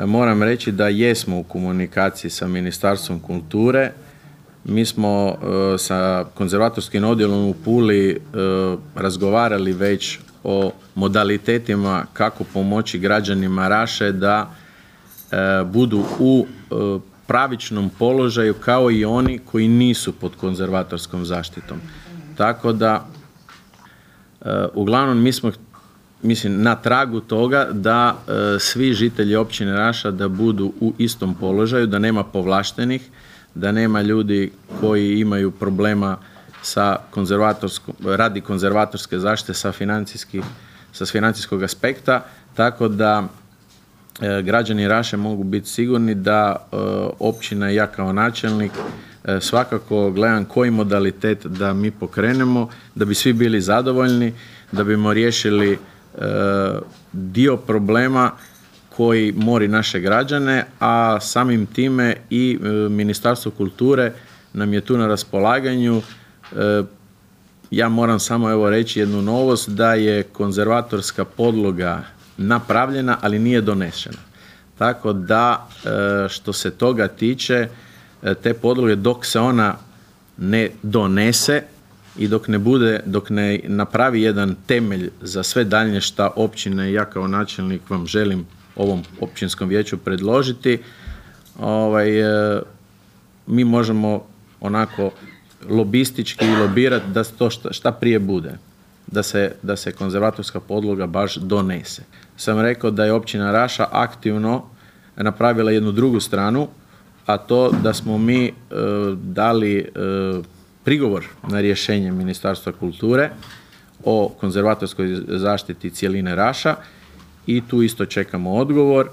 moram reći da jesmo u komunikaciji sa Ministarstvom kulture. Mi smo sa konzervatorskim odjelom u Puli razgovarali već o modalitetima kako pomoći građanima Raše da budu u pravičnom položaju kao i oni koji nisu pod konzervatorskom zaštitom. Tako da, uglavnom mi smo na tragu toga da svi žitelji općine Raša da budu u istom položaju, da nema povlaštenih, da nema ljudi koji imaju problema sa radi konzervatorske zaštite sa financijskog aspekta, tako da građani Raše mogu biti sigurni da općina i ja kao načelnik svakako gledam koji modalitet da mi pokrenemo, da bi svi bili zadovoljni, da bimo riješili dio problema koji mori naše građane, a samim time i Ministarstvo kulture nam je tu na raspolaganju. Ja moram samo reći jednu novost, da je konzervatorska podloga napravljena, ali nije donešena. Tako da, što se toga tiče, te podloge dok se ona ne donese i dok ne napravi jedan temelj za sve daljnje šta općine i ja kao načelnik vam želim ovom općinskom vijeću predložiti, mi možemo onako lobistički lobirati da to šta prije bude, da se konzervatorska podloga baš donese. Sam rekao da je općina Raša aktivno napravila jednu drugu stranu, a to da smo mi dali prigovor na rješenje Ministarstva kulture o konzervatorskoj zaštiti cjeline Raša i tu isto čekamo odgovor.